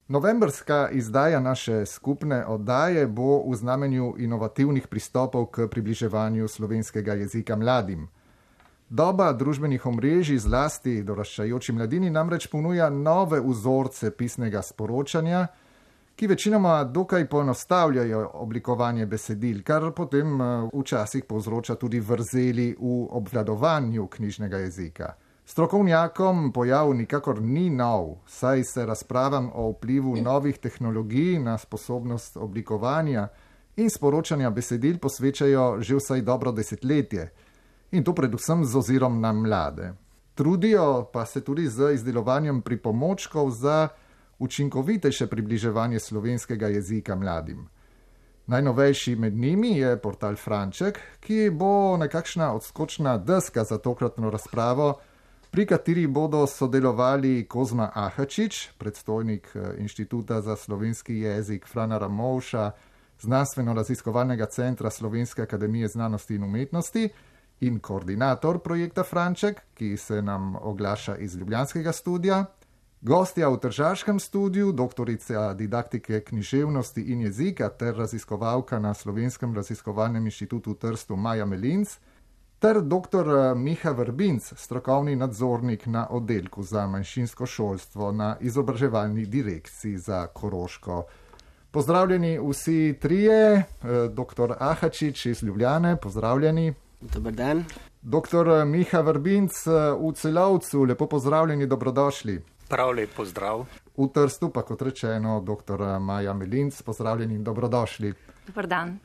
Novembrska izdaja naše skupne oddaje bo v znamenju inovativnih pristopov k približevanju slovenskega jezika mladim. Doba družbenih omrežij zlasti doraščajoči mladini namreč ponuja nove vzorce pisnega sporočanja, ki večinoma dokaj poenostavljajo oblikovanje besedil, kar potem včasih povzroča tudi vrzeli v obvladovanju knjižnega jezika. Strokovnjakom pojav nikakor ni nov, saj se razpravam o vplivu novih tehnologij na sposobnost oblikovanja in sporočanja besedil posvečajo že vsaj dobro desetletje, in to predvsem z ozirom na mlade. Trudijo pa se tudi z izdelovanjem pripomočkov za učinkovitejše približevanje slovenskega jezika mladim. Najnovejši med njimi je portal Franček, ki bo nekakšna odskočna deska za tokratno razpravo, pri kateri bodo sodelovali Kozma Ahačič, predstojnik Inštituta za slovenski jezik Frana Ramovša, Znanstveno-raziskovalnega centra Slovenske akademije znanosti in umetnosti in koordinator projekta Franček, ki se nam oglaša iz ljubljanskega studia. Gostja v tržaškem studiu, doktorica didaktike književnosti in jezika ter raziskovalka na Slovenskem raziskovalnem inštitutu v Trstu Maja Melinc, ter dr. Miha Vrbinc, strokovni nadzornik na oddelku za manjšinsko šolstvo na izobraževalni direkciji za Koroško. Pozdravljeni vsi trije, dr. Ahačič iz Ljubljane, pozdravljeni. Dobar dan. Dr. Miha Vrbinc v Celovcu, lepo pozdravljeni, dobrodošli. Prav lep pozdrav. V Trstu pa, kot rečeno, dr. Maja Melinc, pozdravljeni in dobrodošli. Dobar dan.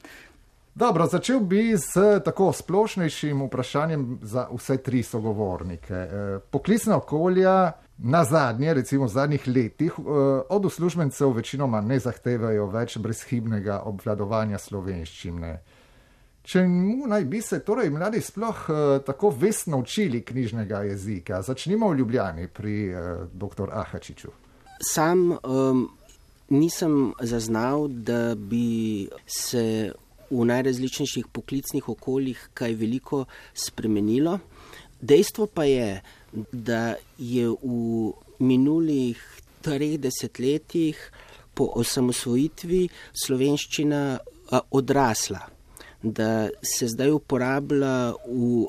Dobro, začel bi s tako splošnejšim vprašanjem za vse tri sogovornike. Poklicna okolja na zadnje, recimo v zadnjih letih, od uslužbencev večinoma ne zahtevajo več brezhibnega obvladovanja slovenščine. Čemu naj bi se torej mladi sploh tako vestno učili knjižnega jezika? Začnimo v Ljubljani pri dr. Ahačiču. Sam nisem zaznal, da bi se v najrazličnejših poklicnih okoljih kaj veliko spremenilo. Dejstvo pa je, da je v minulih 3 desetletjih po osamosvojitvi slovenščina odrasla, da se zdaj uporablja v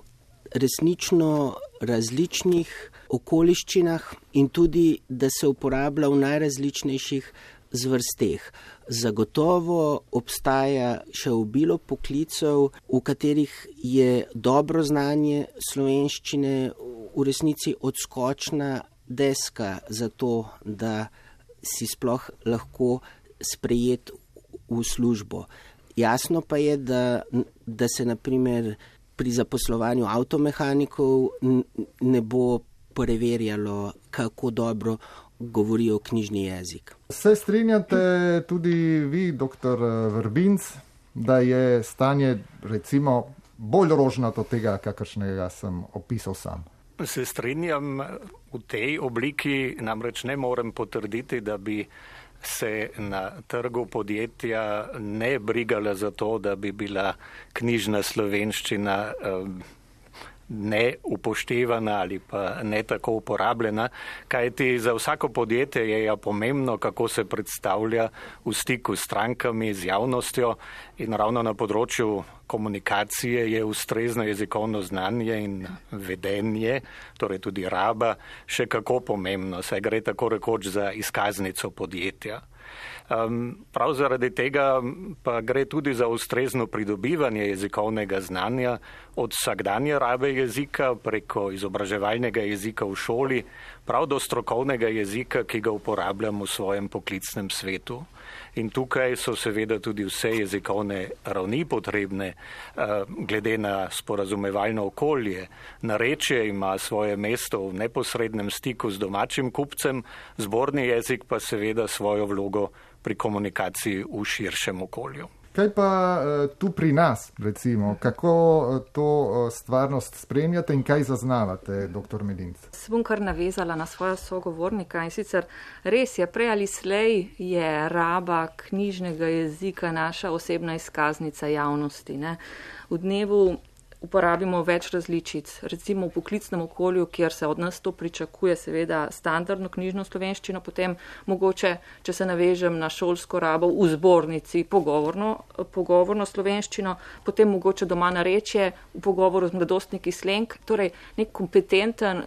resnično različnih okoliščinah in tudi, da se uporablja v najrazličnejših zvrsteh. Zagotovo obstaja še obilo poklicev, v katerih je dobro znanje slovenščine v resnici odskočna deska za to, da si sploh lahko sprejet v službo. Jasno pa je, da se na primer pri zaposlovanju avtomehanikov ne bo preverjalo, kako dobro govorijo knjižni jezik. Se strinjate tudi vi, dr. Vrbinc, da je stanje recimo bolj rožnato od tega, kakršnega sem opisal sam? Se strinjam v tej obliki, namreč ne morem potrditi, da bi se na trgu podjetja ne brigala za to, da bi bila knjižna slovenščina ne upoštevana ali pa ne tako uporabljena, kajti za vsako podjetje je ja pomembno, kako se predstavlja v stiku s strankami, z javnostjo, in ravno na področju komunikacije je ustrezno jezikovno znanje in vedenje, torej tudi raba, še kako pomembno, saj gre tako rekoč za izkaznico podjetja. Prav zaradi tega pa gre tudi za ustrezno pridobivanje jezikovnega znanja od vsakdanje rabe jezika preko izobraževalnega jezika v šoli, prav do strokovnega jezika, ki ga uporabljam v svojem poklicnem svetu. In tukaj so seveda tudi vse jezikovne ravni potrebne, glede na sporazumevalno okolje. Narečje ima svoje mesto v neposrednem stiku z domačim kupcem, zborni jezik pa seveda svojo vlogo pri komunikaciji v širšem okolju. Kaj pa tu pri nas, recimo? Kako to stvarnost spremljate in kaj zaznavate, dr. Melinc? Se bom kar navezala na svojo sogovornika, in sicer res je, prej ali slej je raba knjižnega jezika naša osebna izkaznica javnosti. Ne? V dnevu uporabimo več različic. Recimo v poklicnem okolju, kjer se od nas to pričakuje, seveda standardno knjižno slovenščino, potem mogoče, če se navežem na šolsko rabo v zbornici, pogovorno slovenščino, potem mogoče doma narečje v pogovoru z mladostniki slang. Torej, nek kompetenten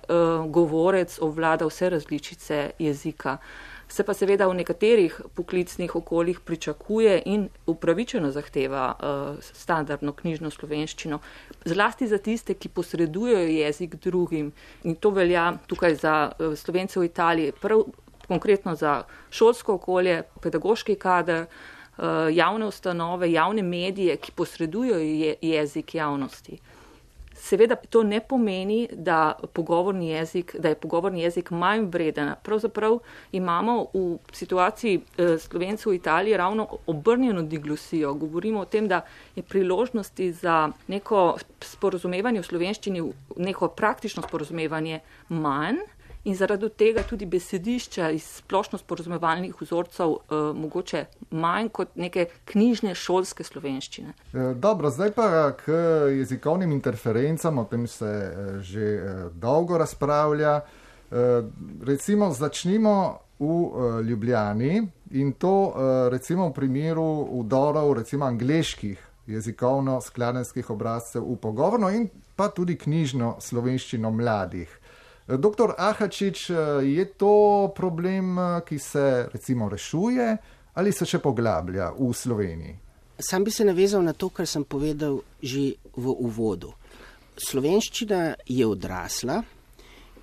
govorec obvlada vse različice jezika. Se pa seveda v nekaterih poklicnih okoljih pričakuje in upravičeno zahteva standardno knjižno slovenščino. Zlasti za tiste, ki posredujejo jezik drugim. In to velja tukaj za Slovence v Italiji, prav konkretno za šolsko okolje, pedagoški kader, javne ustanove, javne medije, ki posredujejo jezik javnosti. Seveda to ne pomeni, da je pogovorni jezik manj vreden. Pravzaprav imamo v situaciji Slovencev v Italiji ravno obrnjeno diglosijo. Govorimo o tem, da je priložnosti za neko sporazumevanje v slovenščini, neko praktično sporazumevanje manj in zaradi tega tudi besedišča iz splošno sporazumevalnih vzorcev mogoče manj kot neke knjižne šolske slovenščine. Dobro, zdaj pa k jezikovnim interferencam, o tem se že dolgo razpravlja. Recimo začnimo v Ljubljani in to recimo v primeru vdorov recimo angleških jezikovno-skladenjskih obrazcev v pogovorno in pa tudi knjižno slovenščino mladih. Doktor Ahačič, je to problem, ki se recimo rešuje ali se še poglablja v Sloveniji? Sam bi se navezal na to, kar sem povedal že v uvodu. Slovenščina je odrasla,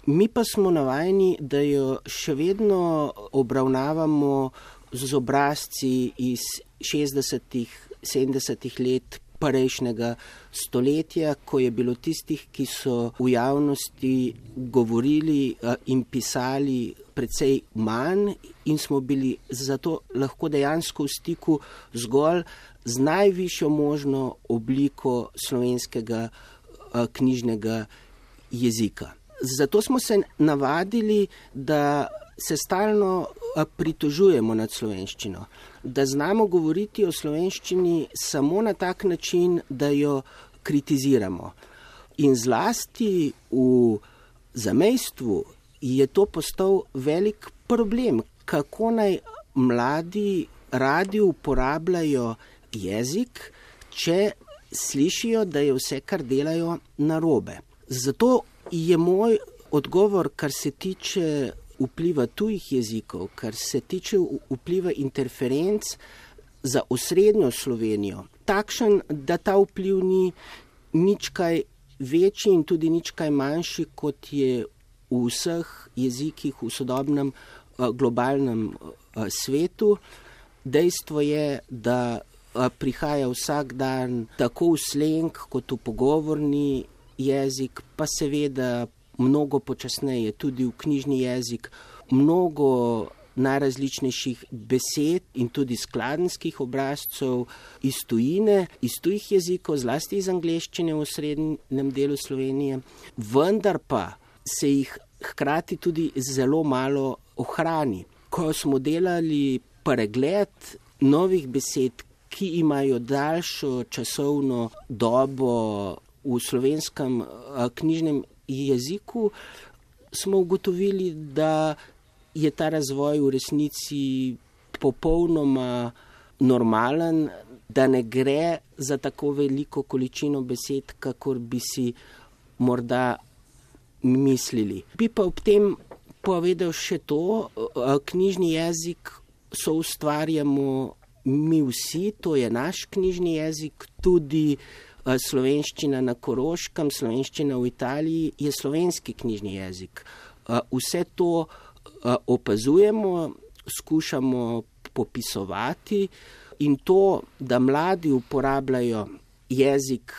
mi pa smo navajeni, da jo še vedno obravnavamo z obrazci iz 60-ih, 70-ih let prejšnjega stoletja, ko je bilo tistih, ki so v javnosti govorili in pisali precej manj in smo bili zato lahko dejansko v stiku zgolj z najvišjo možno obliko slovenskega knjižnega jezika. Zato smo se navadili, da se stalno pritožujemo nad slovenščino, da znamo govoriti o slovenščini samo na tak način, da jo kritiziramo. In zlasti v zamejstvu je to postal velik problem, kako naj mladi radi uporabljajo jezik, če slišijo, da je vse, kar delajo, narobe. Zato je moj odgovor, kar se tiče vpliva tujih jezikov, kar se tiče vpliva interferenc za osrednjo Slovenijo, takšen, da ta vpliv ni nič kaj večji in tudi nič kaj manjši, kot je v vseh jezikih v sodobnem globalnem svetu. Dejstvo je, da prihaja vsak dan tako v slang kot v pogovorni jezik, pa seveda mnogo počasneje tudi v knjižni jezik, mnogo najrazličnejših besed in tudi skladenjskih obrazcev iz tujine, iz tujih jezikov, zlasti iz angleščine v osrednjem delu Slovenije, vendar pa se jih hkrati tudi zelo malo ohrani. Ko smo delali pregled novih besed, ki imajo daljšo časovno dobo v slovenskem knjižnem jeziku, smo ugotovili, da je ta razvoj v resnici popolnoma normalen, da ne gre za tako veliko količino besed, kakor bi si morda mislili. Bi pa ob tem povedal še to, knjižni jezik soustvarjamo mi vsi, to je naš knjižni jezik, tudi slovenščina na Koroškem, slovenščina v Italiji je slovenski knjižni jezik. Vse to opazujemo, skušamo popisovati in to, da mladi uporabljajo jezik,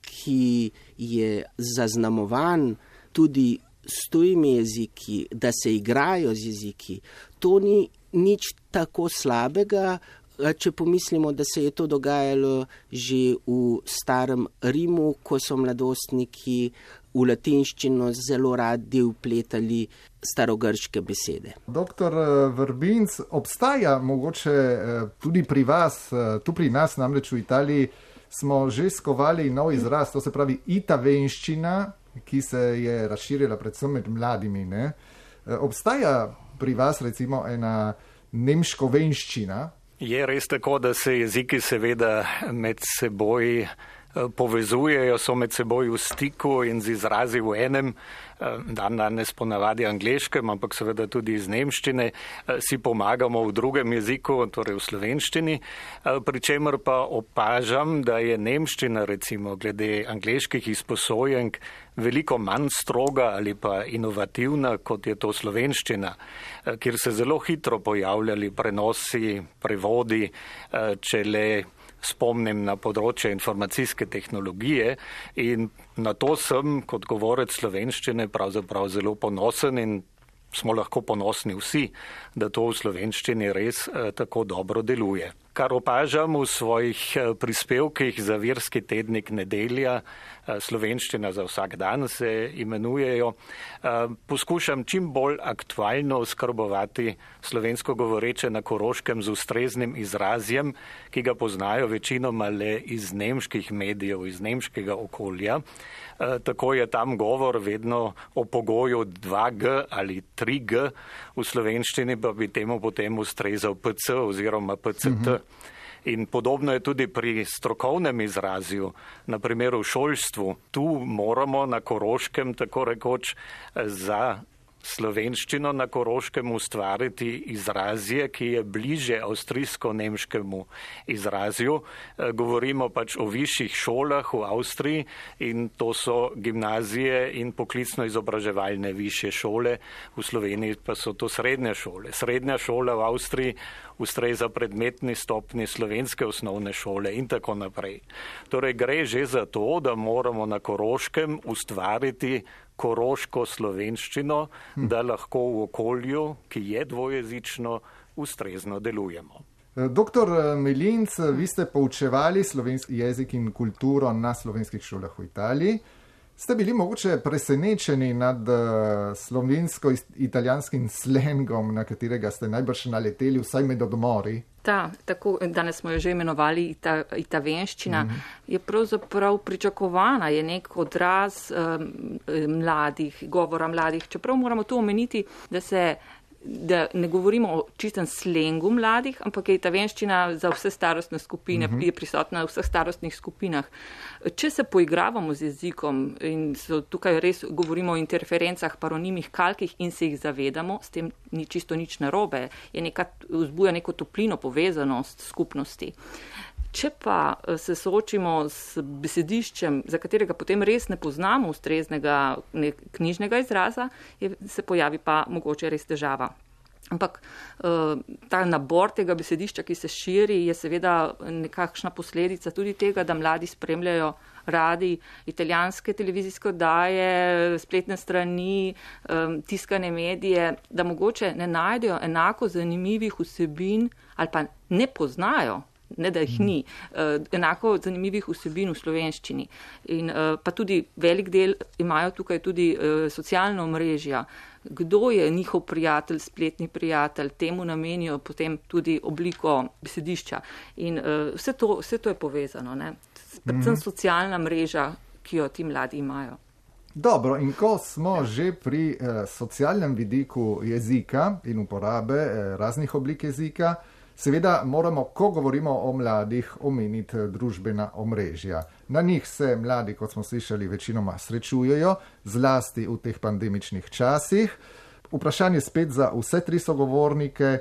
ki je zaznamovan tudi s tujimi jeziki, da se igrajo z jeziki, to ni nič tako slabega, če pomislimo, da se je to dogajalo že v starem Rimu, ko so mladostniki v latinščino zelo radi vpletali starogrške besede. Doktor Vrbinc, obstaja mogoče tudi pri vas, tu pri nas namreč v Italiji, smo že skovali nov izraz, to se pravi itavenščina, ki se je razširila predvsem med mladimi. Ne? Obstaja pri vas recimo ena nemškovenščina? Je res tako, da se jeziki seveda med seboj povezujejo, so med seboj v stiku in z izrazi v enem, danes ponavadi angleškem, ampak seveda tudi iz nemščine, si pomagamo v drugem jeziku, torej v slovenščini, pri čemer pa opažam, da je nemščina recimo glede angleških izposojenk veliko manj stroga ali pa inovativna, kot je to slovenščina, kjer se zelo hitro pojavljali prenosi, prevodi, če le spomnim na področje informacijske tehnologije in na to sem kot govorec slovenščine pravzaprav zelo ponosen in smo lahko ponosni vsi, da to v slovenščini res tako dobro deluje. Kar opažam v svojih prispevkih za virski tednik Nedelja, slovenščina za vsak dan se imenujejo, poskušam čim bolj aktualno oskrbovati slovensko govoreče na Koroškem z ustreznim izrazjem, ki ga poznajo večinoma le iz nemških medijev, iz nemškega okolja. Tako je tam govor vedno o pogoju 2G ali 3G, v slovenščini pa bi temu potem ustrezal PC oziroma PCT. In podobno je tudi pri strokovnem izrazju, na primer v šolstvu. Tu moramo na Koroškem tako rekoč za slovenščino na Koroškem ustvariti izrazje, ki je bliže avstrijsko-nemškemu izrazju. Govorimo pač o višjih šolah v Avstriji in to so gimnazije in poklicno-izobraževalne višje šole, v Sloveniji pa so to srednje šole. Srednja šola v Avstriji ustreza predmetni stopni slovenske osnovne šole in tako naprej. Torej gre že za to, da moramo na Koroškem ustvariti koroško slovenščino, da lahko v okolju, ki je dvojezično, ustrezno delujemo. Doktor Melinc, vi ste poučevali slovenski jezik in kulturo na slovenskih šolah v Italiji. Ste bili mogoče presenečeni nad slovensko-italijanskim slengom, na katerega ste najbrž naleteli vsaj med odmori? Tako, danes smo jo že imenovali itavenščina, je pravzaprav pričakovana, je nek odraz mladih, govora mladih. Čeprav moramo tu omeniti, da ne govorimo o čistem slengu mladih, ampak je itavenščina za vse starostne skupine, je prisotna v vseh starostnih skupinah. Če se poigravamo z jezikom in tukaj res govorimo o interferencah, paronimih, kalkih in se jih zavedamo, s tem ni čisto nič narobe, vzbuja neko toplino, povezanost skupnosti. Če pa se soočimo s besediščem, za katerega potem res ne poznamo ustreznega knjižnega izraza, se pojavi pa mogoče res težava. Ampak ta nabor tega besedišča, ki se širi, je seveda nekakšna posledica tudi tega, da mladi spremljajo radi italijanske televizijske oddaje, spletne strani, tiskane medije, da mogoče ne najdejo enako zanimivih vsebin ali pa ne poznajo, ne da jih ni, enako zanimivih vsebin v slovenščini. In pa tudi velik del imajo tukaj tudi socialna omrežja. Kdo je njihov prijatelj, spletni prijatelj, temu namenijo potem tudi obliko besedišča. In vse to je povezano, ne? Predvsem socialna mreža, ki jo ti mladi imajo. Dobro, in ko smo že pri socialnem vidiku jezika in uporabe raznih oblik jezika, seveda moramo, ko govorimo o mladih, omeniti družbena omrežja. Na njih se mladi, kot smo slišali, večinoma srečujejo, zlasti v teh pandemičnih časih. Vprašanje spet za vse tri sogovornike.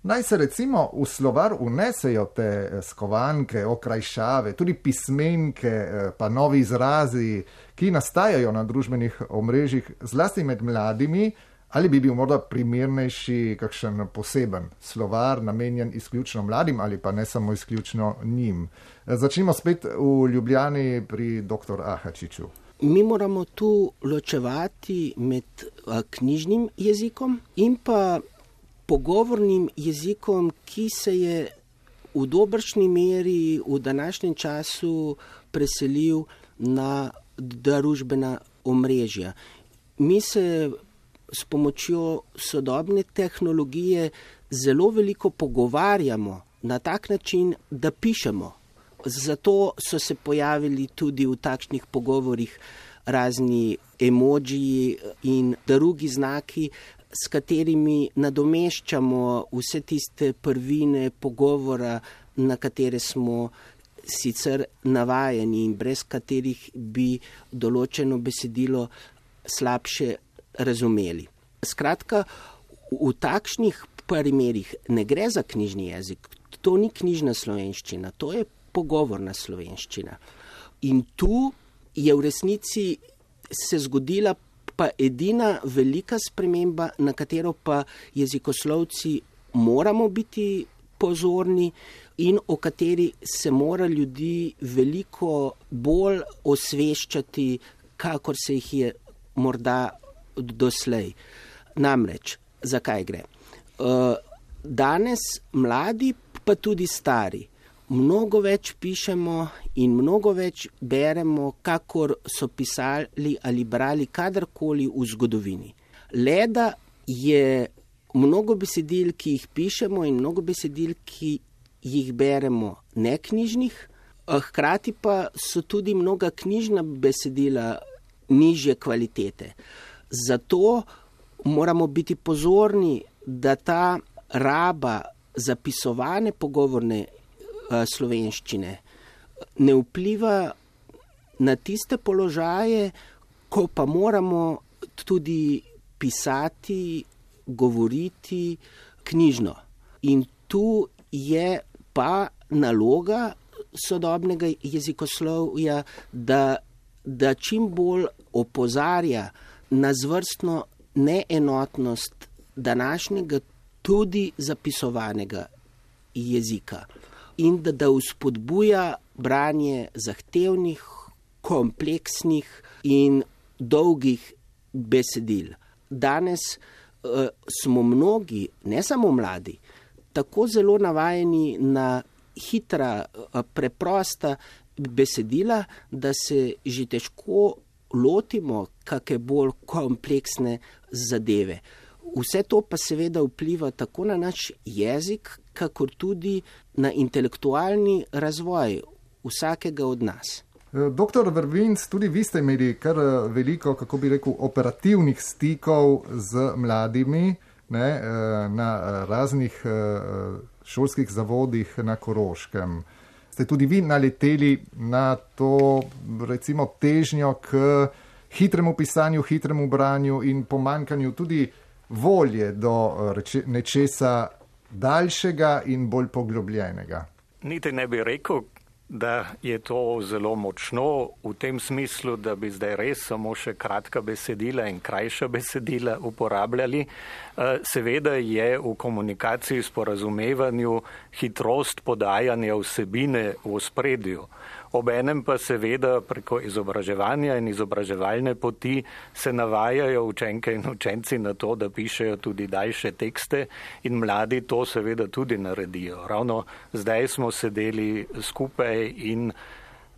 Naj se recimo v slovar unesejo te skovanke, okrajšave, tudi pismenke, pa novi izrazi, ki nastajajo na družbenih omrežjih, zlasti med mladimi. Ali bi bil morda primernejši kakšen poseben slovar, namenjen izključno mladim ali pa ne samo izključno njim? Začnimo spet v Ljubljani pri dr. Ahačiču. Mi moramo tu ločevati med knjižnim jezikom in pa pogovornim jezikom, ki se je v dobršni meri v današnjem času preselil na družbena omrežja. Mi se s pomočjo sodobne tehnologije zelo veliko pogovarjamo na tak način, da pišemo. Zato so se pojavili tudi v takšnih pogovorih razni emodžiji in drugi znaki, s katerimi nadomeščamo vse tiste prvine pogovora, na katere smo sicer navajeni in brez katerih bi določeno besedilo slabše razumeli. Skratka, v takšnih primerih ne gre za knjižni jezik, to ni knjižna slovenščina, to je pogovorna slovenščina. In tu je v resnici se zgodila pa edina velika sprememba, na katero pa jezikoslovci moramo biti pozorni in o kateri se mora ljudi veliko bolj osveščati, kakor se jih je morda doslej. Namreč, zakaj gre? Danes mladi, pa tudi stari, mnogo več pišemo in mnogo več beremo, kakor so pisali ali brali kadarkoli v zgodovini. Leda je mnogo besedil, ki jih pišemo in mnogo besedil, ki jih beremo neknjižnih, hkrati pa so tudi mnoga knjižna besedila nižje kvalitete. Zato moramo biti pozorni, da ta raba zapisovane pogovorne slovenščine ne vpliva na tiste položaje, ko pa moramo tudi pisati, govoriti knjižno. In tu je pa naloga sodobnega jezikoslovja, da čim bolj opozarja na zvrstno neenotnost današnjega tudi zapisovanega jezika in da vzpodbuja branje zahtevnih, kompleksnih in dolgih besedil. Danes smo mnogi, ne samo mladi, tako zelo navajeni na hitra, preprosta besedila, da se že težko lotimo kakšne bolj kompleksne zadeve. Vse to pa seveda vpliva tako na naš jezik, kakor tudi na intelektualni razvoj vsakega od nas. Doktor Vrvinc, tudi vi ste imeli kar veliko, kako bi rekel, operativnih stikov z mladimi, ne, na raznih šolskih zavodih na Koroškem. Ste tudi vi naleteli na to, recimo, težnjo k hitremu pisanju, hitremu branju in pomanjkanju tudi volje do nečesa daljšega in bolj poglobljenega? Niti ne bi rekel, da je to zelo močno v tem smislu, da bi zdaj res samo še kratka besedila in krajša besedila uporabljali. Seveda je v komunikaciji, sporazumevanju hitrost podajanja vsebine v ospredju. Obenem pa seveda preko izobraževanja in izobraževalne poti se navajajo učenke in učenci na to, da pišejo tudi daljše tekste in mladi to seveda tudi naredijo. Ravno zdaj smo sedeli skupaj in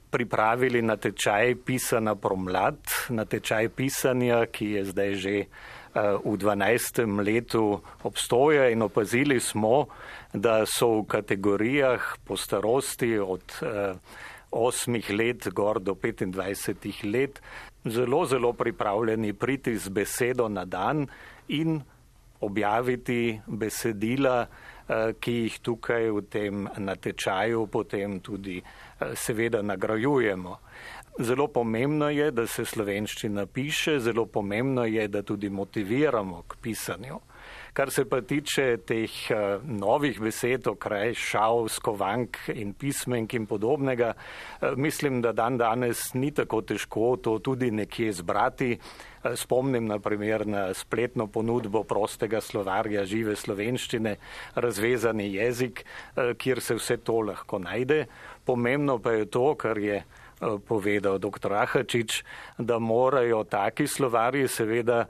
pripravili natečaj Pisana promlad, natečaj pisanja, ki je zdaj že v 12. letu obstoja in opazili smo, da so v kategorijah po starosti od 8 let gor do 25 let zelo pripravljeni priti z besedo na dan in objaviti besedila, ki jih tukaj v tem natečaju potem tudi seveda nagrajujemo. Zelo pomembno je, da se slovenščina piše, zelo pomembno je, da tudi motiviramo k pisanju. Kar se pa tiče teh novih besed, okraj, šav, skovank in pismenk in podobnega, mislim, da danes ni tako težko to tudi nekje zbrati. Spomnim na primer na spletno ponudbo prostega slovarja žive slovenščine, razvezani jezik, kjer se vse to lahko najde. Pomembno pa je to, kar je povedal dr. Ahačič, da morajo taki slovarji seveda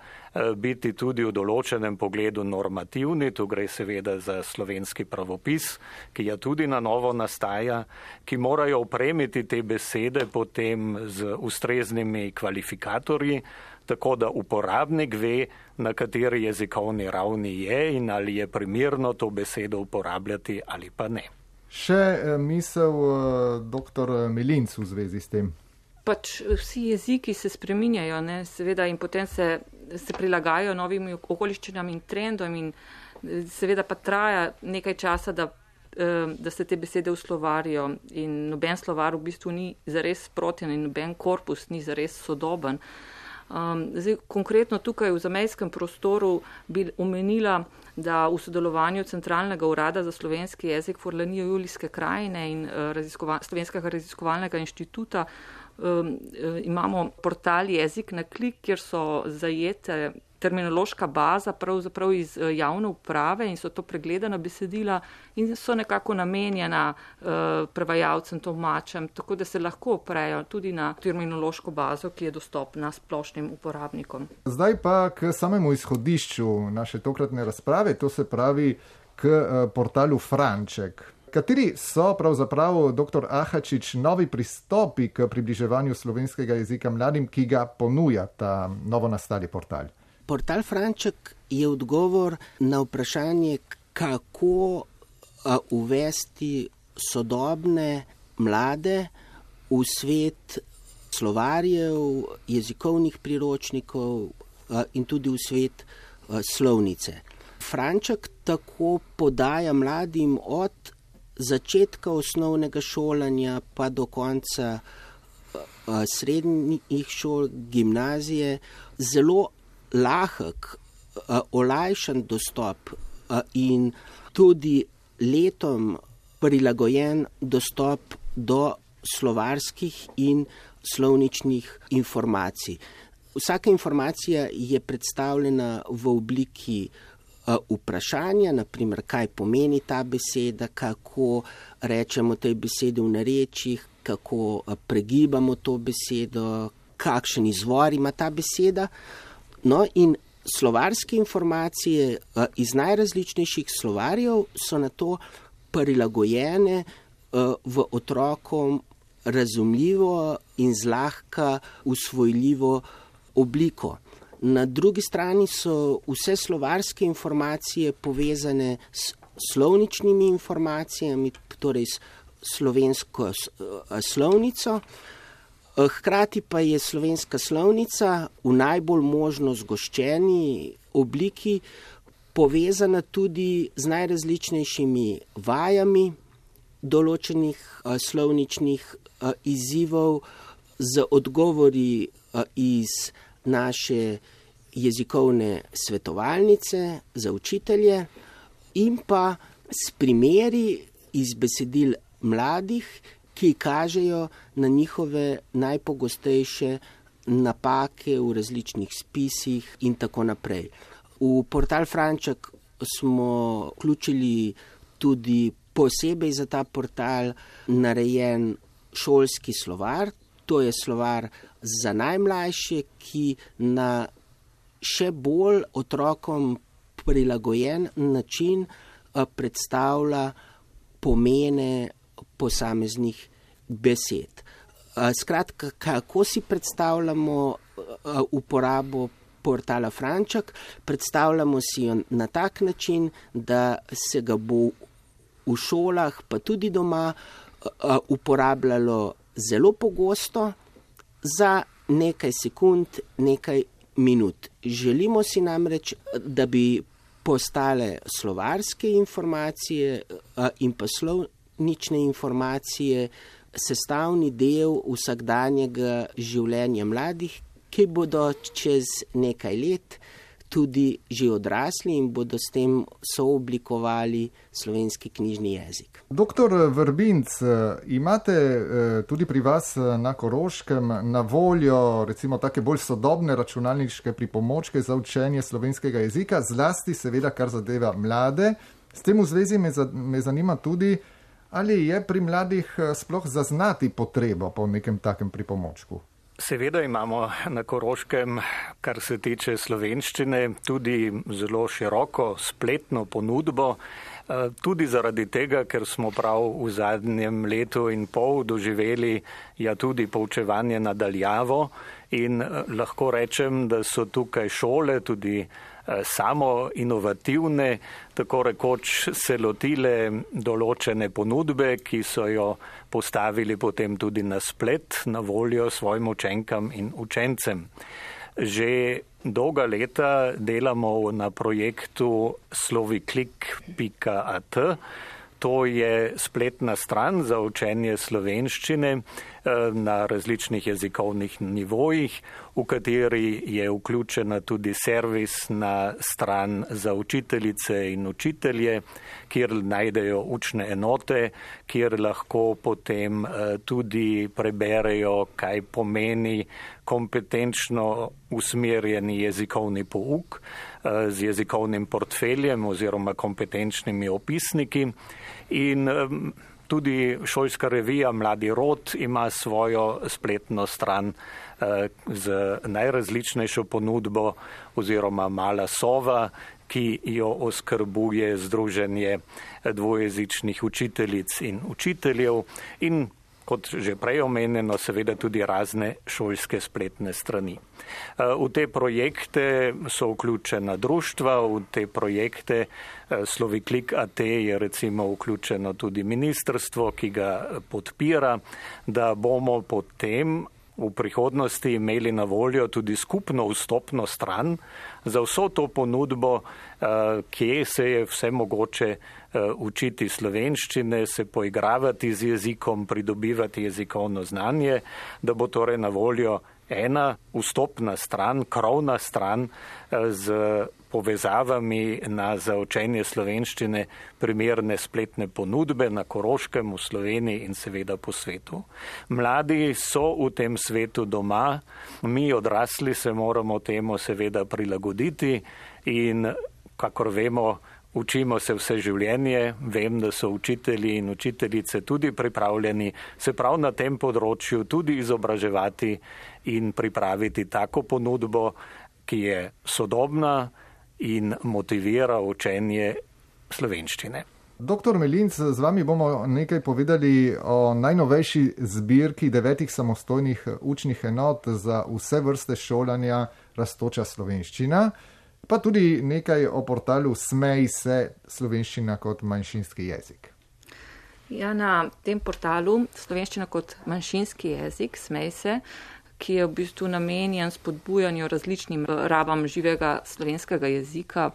biti tudi v določenem pogledu normativni. Tu gre seveda za slovenski pravopis, ki ja tudi na novo nastaja, ki morajo opremiti te besede potem z ustreznimi kvalifikatorji, tako da uporabnik ve, na kateri jezikovni ravni je in ali je primerno to besedo uporabljati ali pa ne. Še misel dr. Melinc v zvezi s tem. Pač vsi jeziki se spreminjajo, ne, seveda, in potem se prilagajajo novim okoliščinam in trendom in seveda pa traja nekaj časa, da se te besede uslovarijo in noben slovar v bistvu ni zares sproten in noben korpus ni zares sodoben. Zdaj, konkretno tukaj v zamejskem prostoru bi omenila, da v sodelovanju Centralnega urada za slovenski jezik Furlanijo Julijske krajine in Slovenskega raziskovalnega inštituta imamo portal Jezik na klik, kjer so zajete terminološka baza pravzaprav iz javne uprave in so to pregledana besedila in so nekako namenjena prevajalcem, tolmačem, tako da se lahko oprejo tudi na terminološko bazo, ki je dostopna splošnim uporabnikom. Zdaj pa k samemu izhodišču naše tokratne razprave, to se pravi k portalu Franček. Kateri so pravzaprav, dr. Ahačič, novi pristopi k približevanju slovenskega jezika mladim, ki ga ponuja ta novo nastali portal? Portal Franček je odgovor na vprašanje, kako uvesti sodobne mlade v svet slovarjev, jezikovnih priročnikov in tudi v svet slovnice. Franček tako podaja mladim od začetka osnovnega šolanja pa do konca srednjih šol, gimnazije, zelo lahek, olajšan dostop in tudi letom prilagojen dostop do slovarskih in slovničnih informacij. Vsaka informacija je predstavljena v obliki vprašanja, naprimer, kaj pomeni ta beseda, kako rečemo tej besedi v narečjih, kako pregibamo to besedo, kakšen izvor ima ta beseda. No in slovarske informacije iz najrazličnejših slovarjev so na to prilagojene v otrokom razumljivo in zlahka usvojljivo obliko. Na drugi strani so vse slovarske informacije povezane s slovničnimi informacijami, torej s slovensko slovnico. Hkrati pa je slovenska slovnica v najbolj možno zgoščeni obliki povezana tudi z najrazličnejšimi vajami določenih slovničnih izzivov, z odgovori iz naše jezikovne svetovalnice za učitelje in pa s primeri iz besedil mladih, ki kažejo na njihove najpogostejše napake v različnih spisih in tako naprej. V portal Franček smo vključili tudi posebej za ta portal narejen šolski slovar. To je slovar za najmlajše, ki na še bolj otrokom prilagojen način predstavlja pomene posameznih besed. Skratka, kako si predstavljamo uporabo portala Franček? Predstavljamo si jo na tak način, da se ga bo v šolah, pa tudi doma, uporabljalo zelo pogosto za nekaj sekund, nekaj minut. Želimo si namreč, da bi postale slovarske informacije in pa slovnične informacije sestavni del vsakdanjega življenja mladih, ki bodo čez nekaj let tudi že odrasli in bodo s tem sooblikovali slovenski knjižni jezik. Doktor Vrbinc, imate tudi pri vas na Koroškem na voljo recimo take bolj sodobne računalniške pripomočke za učenje slovenskega jezika, zlasti seveda kar zadeva mlade. S tem v zvezi me zanima tudi, ali je pri mladih sploh zaznati potrebo po nekem takem pripomočku. Seveda imamo na Koroškem, kar se tiče slovenščine, tudi zelo široko spletno ponudbo. Tudi zaradi tega, ker smo prav v zadnjem letu in pol doživeli tudi poučevanje nadaljavo in lahko rečem, da so tukaj šole tudi samo inovativne, tako rekoč se lotile določene ponudbe, ki so jo postavili potem tudi na splet, na voljo svojim učenkam in učencem. Že dolga leta delamo na projektu sloviklik.at. To je spletna stran za učenje slovenščine na različnih jezikovnih nivojih, v kateri je vključena tudi servisna stran za učiteljice in učitelje, kjer najdejo učne enote, kjer lahko potem tudi preberejo, kaj pomeni kompetenčno usmerjeni jezikovni pouk z jezikovnim portfeljem oziroma kompetenčnimi opisniki. In tudi šolska revija Mladi rod ima svojo spletno stran z najrazličnejšo ponudbo oziroma Mala sova, ki jo oskrbuje Združenje dvojezičnih učiteljic in učiteljev in kot že prej omenjeno, seveda tudi razne šolske spletne strani. V te projekte so vključena društva, v te projekte Sloviklik.at je recimo vključeno tudi ministrstvo, ki ga podpira, da bomo potem v prihodnosti imeli na voljo tudi skupno vstopno stran za vso to ponudbo, kje se je vse mogoče učiti slovenščine, se poigravati z jezikom, pridobivati jezikovno znanje, da bo torej na voljo ena vstopna stran, krovna stran z povezavami za učenje slovenščine primerne spletne ponudbe na Koroškem, v Sloveniji in seveda po svetu. Mladi so v tem svetu doma, mi odrasli se moramo temu seveda prilagoditi in kakor vemo, učimo se vse življenje, vem, da so učitelji in učiteljice tudi pripravljeni se prav na tem področju tudi izobraževati in pripraviti tako ponudbo, ki je sodobna in motivira učenje slovenščine. Doktor Melinc, z vami bomo nekaj povedali o najnovejši zbirki 9 samostojnih učnih enot za vse vrste šolanja Rastoča slovenščina, pa tudi nekaj o portalu Smej se slovenščina kot manjšinski jezik. Ja, na tem portalu Slovenščina kot manjšinski jezik, Smej se, ki je v bistvu namenjen spodbujanju različnim rabam živega slovenskega jezika,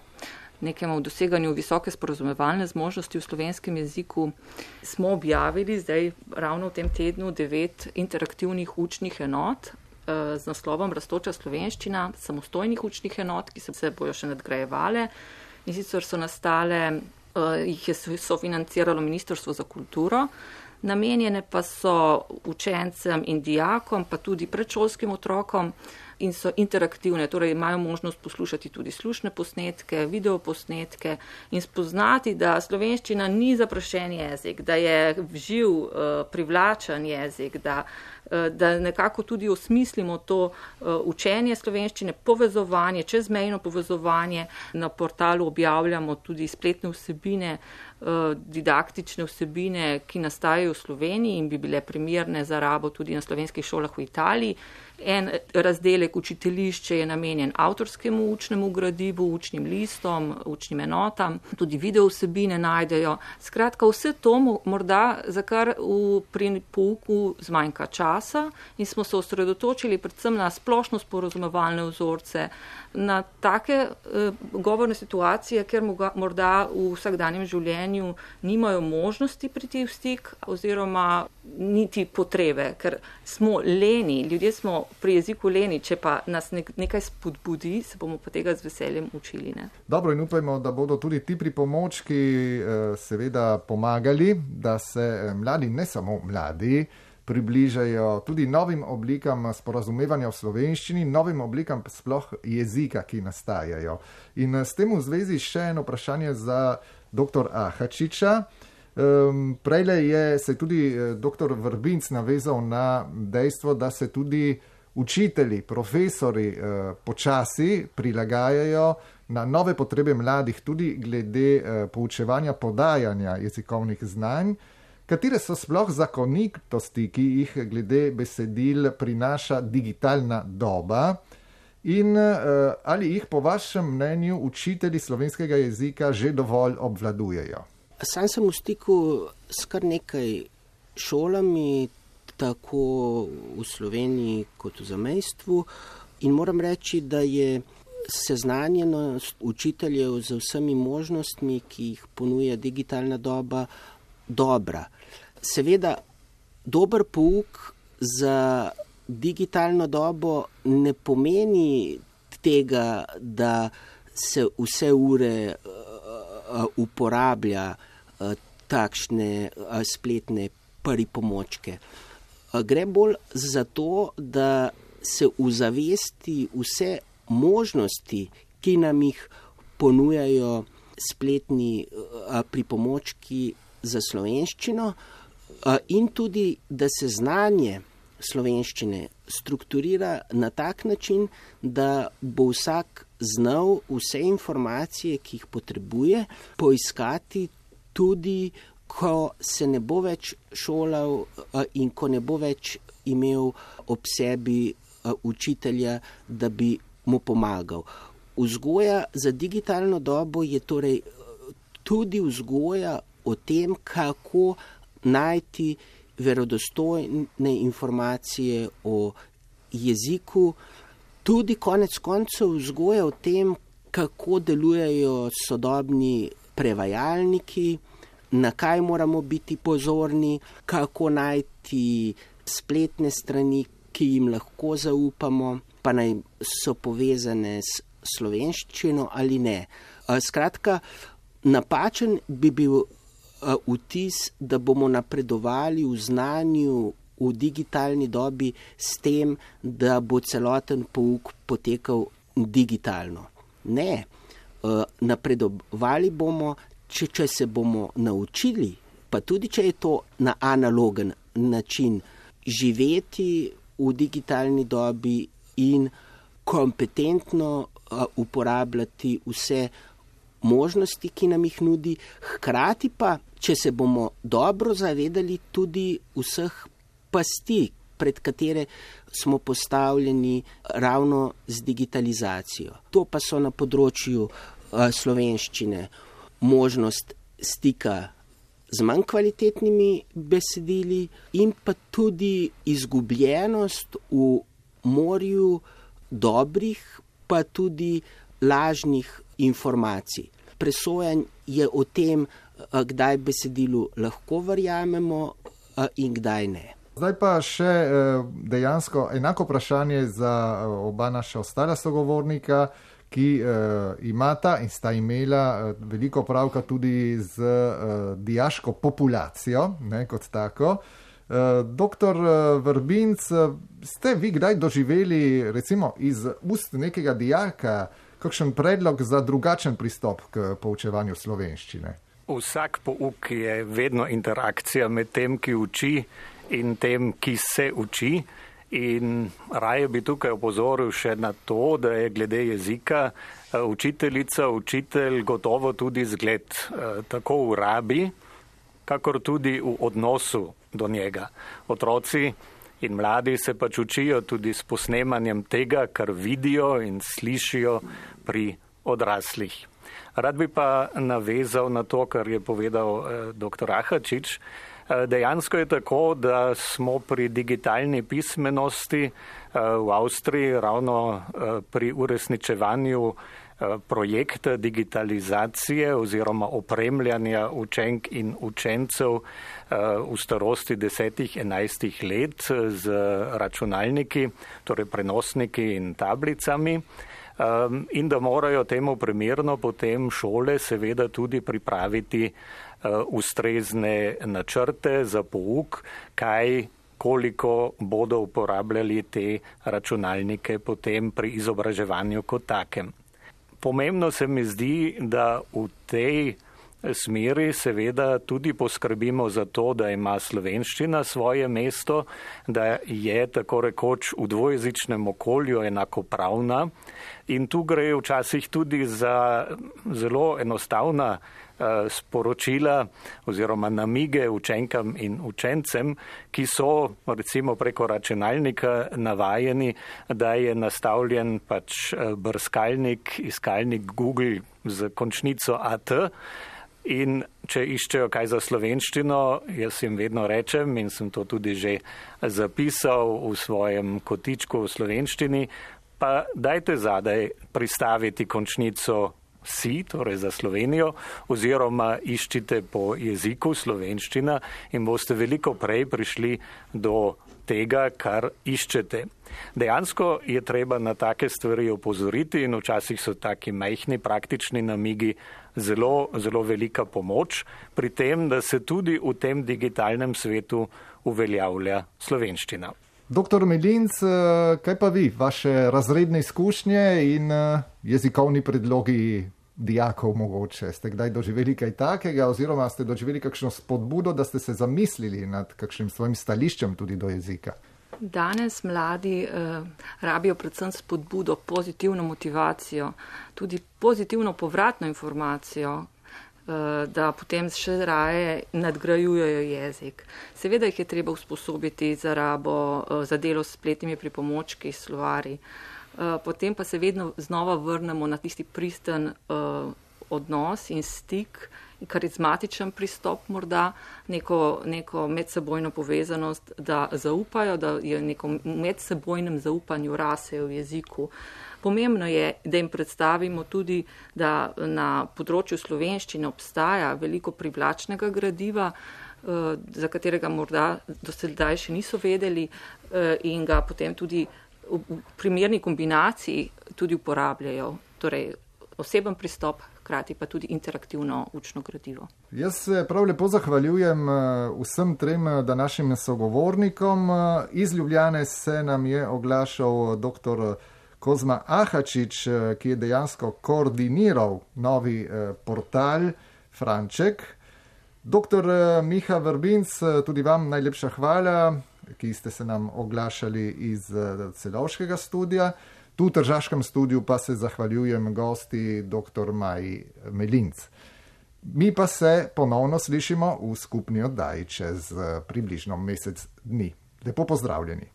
nekemu doseganju visoke sporazumevalne zmožnosti v slovenskem jeziku, smo objavili zdaj ravno v tem tednu 9 interaktivnih učnih enot z naslovom Rastoča slovenščina, samostojnih učnih enot, ki se bojo še nadgrajevale. In sicer so nastale, jih je sofinanciralo Ministrstvo za kulturo, namenjene pa so učencem in dijakom, pa tudi predšolskim otrokom in so interaktivne, torej imajo možnost poslušati tudi slušne posnetke, videoposnetke in spoznati, da slovenščina ni zaprašen jezik, da je živ, privlačen jezik, da nekako tudi osmislimo to učenje slovenščine, povezovanje, čezmejno povezovanje. Na portalu objavljamo tudi spletne vsebine, didaktične vsebine, ki nastajajo v Sloveniji in bi bile primerne za rabo tudi na slovenskih šolah v Italiji. En razdelek učiteljišče je namenjen avtorskemu učnemu gradivu, učnim listom, učnim enotam, tudi video vsebine najdejo. Skratka, vse to morda, za kar pri pouku zmanjka časa in smo se osredotočili predvsem na splošno sporazumevalne vzorce, na take govorne situacije, ker morda v vsakdanjem življenju nimajo možnosti priti v stik oziroma niti potrebe, ker smo leni, ljudje smo pri jeziku leni, če pa nas nekaj spodbudi, se bomo pa tega z veseljem učili. Ne? Dobro, in upajmo, da bodo tudi ti pripomočki seveda pomagali, da se mladi, ne samo mladi, približajo tudi novim oblikam sporazumevanja v slovenščini, novim oblikam sploh jezika, ki nastajajo. In s tem v zvezi še eno vprašanje za dr. Ahačiča. Prejle je se tudi dr. Vrbinc navezal na dejstvo, da se tudi učitelji, profesori počasi prilagajajo na nove potrebe mladih, tudi glede poučevanja podajanja jezikovnih znanj, katere so sploh zakonitosti, ki jih glede besedil prinaša digitalna doba in ali jih po vašem mnenju učitelji slovenskega jezika že dovolj obvladujejo? Sam sem v stiku s kar nekaj šolami, tako v Sloveniji kot v zamejstvu, in moram reči, da je seznanjenost učiteljev z vsemi možnostmi, ki jih ponuja digitalna doba, dobra. Seveda, dober pouk za digitalno dobo ne pomeni tega, da se vse ure uporablja takšne spletne pripomočke. Gre bolj za to, da se uzavesti vse možnosti, ki nam jih ponujajo spletni pripomočki za slovenščino, in tudi, da se znanje slovenščine strukturira na tak način, da bo vsak znal vse informacije, ki jih potrebuje, poiskati tudi, ko se ne bo več šolal in ko ne bo več imel ob sebi učitelja, da bi mu pomagal. Vzgoja za digitalno dobo je torej tudi vzgoja o tem, kako najti verodostojne informacije o jeziku, tudi konec koncev vzgoja o tem, kako delujejo sodobni prevajalniki, na kaj moramo biti pozorni, kako najti spletne strani, ki jim lahko zaupamo, pa naj so povezane s slovenščino ali ne. Skratka, napačen bi bil vtis, da bomo napredovali v znanju v digitalni dobi s tem, da bo celoten pouk potekal digitalno. Ne, napredovali bomo, če se bomo naučili, pa tudi če je to na analogen način, živeti v digitalni dobi in kompetentno uporabljati vse možnosti, ki nam jih nudi, hkrati pa, če se bomo dobro zavedali tudi vseh pasti, pred katere smo postavljeni ravno z digitalizacijo. To pa so na področju slovenščine možnost stika z manj kvalitetnimi besedili in pa tudi izgubljenost v morju dobrih, pa tudi lažnih informacij. Presojanj je o tem, kdaj besedilu lahko verjamemo in kdaj ne. Zdaj pa še dejansko enako vprašanje za oba naša ostala sogovornika, ki imata in sta imela veliko pravka tudi z dijaško populacijo, ne, kot tako. Doktor Vrbinc, ste vi kdaj doživeli recimo iz ust nekega dijaka kakšen predlog za drugačen pristop k poučevanju slovenščine? Vsak pouk je vedno interakcija med tem, ki uči in tem, ki se uči. In raje bi tukaj opozoril še na to, da je glede jezika učiteljica, učitelj gotovo tudi zgled tako v rabi, kakor tudi v odnosu do njega. Otroci in mladi se pač učijo tudi s posnemanjem tega, kar vidijo in slišijo pri odraslih. Rad bi pa navezal na to, kar je povedal dr. Ahačič. Dejansko je tako, da smo pri digitalni pismenosti v Avstriji ravno pri uresničevanju projekta digitalizacije oziroma opremljanja učenk in učencev v starosti 10-11 let z računalniki, torej prenosniki in tablicami. In da morajo temu primerno potem šole seveda tudi pripraviti ustrezne načrte za pouk, koliko bodo uporabljali te računalnike potem pri izobraževanju kot takem. Pomembno se mi zdi, da v tej smeri seveda tudi poskrbimo za to, da ima slovenščina svoje mesto, da je tako rekoč v dvojezičnem okolju enakopravna in tu gre včasih tudi za zelo enostavna sporočila oziroma namige učenkam in učencem, ki so recimo preko računalnika navajeni, da je nastavljen pač brskalnik, iskalnik Google z končnico AT in če iščejo kaj za slovenščino, jaz jim vedno rečem in sem to tudi že zapisal v svojem kotičku v slovenščini, pa dajte zadaj pristaviti končnico si, torej za Slovenijo, oziroma iščite po jeziku slovenščina in boste veliko prej prišli do tega, kar iščete. Dejansko je treba na take stvari opozoriti in včasih so taki majhni praktični namigi zelo, zelo velika pomoč pri tem, da se tudi v tem digitalnem svetu uveljavlja slovenščina. Doktor Melinc, kaj pa vi, vaše razredne izkušnje in jezikovni predlogi dijakov mogoče? Ste kdaj doživeli kaj takega oziroma ste doživeli kakšno spodbudo, da ste se zamislili nad kakšnim svojim stališčem tudi do jezika? Danes mladi rabijo predvsem spodbudo, pozitivno motivacijo, tudi pozitivno povratno informacijo, da potem še raje nadgrajujejo jezik. Seveda jih je treba usposobiti za rabo, za delo s spletnimi pripomočki, slovari. Potem pa se vedno znova vrnemo na tisti pristen odnos in stik, karizmatičen pristop morda, neko medsebojno povezanost, da zaupajo, da je neko medsebojnem zaupanju rasejo v jeziku. Pomembno je, da jim predstavimo tudi, da na področju slovenščine obstaja veliko privlačnega gradiva, za katerega morda do sedaj še niso vedeli in ga potem tudi v primerni kombinaciji tudi uporabljajo. Torej oseben pristop, hkrati pa tudi interaktivno učno gradivo. Jaz se prav lepo zahvaljujem vsem trem današnjim sogovornikom. Iz Ljubljane se nam je oglašal dr. Kozma Ahačič, ki je dejansko koordiniral novi portal Franček. Dr. Miha Vrbinc, tudi vam najlepša hvala, ki ste se nam oglašali iz Celovškega studia. Tu v tržaškem studiu pa se zahvaljujem gosti dr. Maji Melinc. Mi pa se ponovno slišimo v skupni oddaji čez približno mesec dni. Lepo pozdravljeni.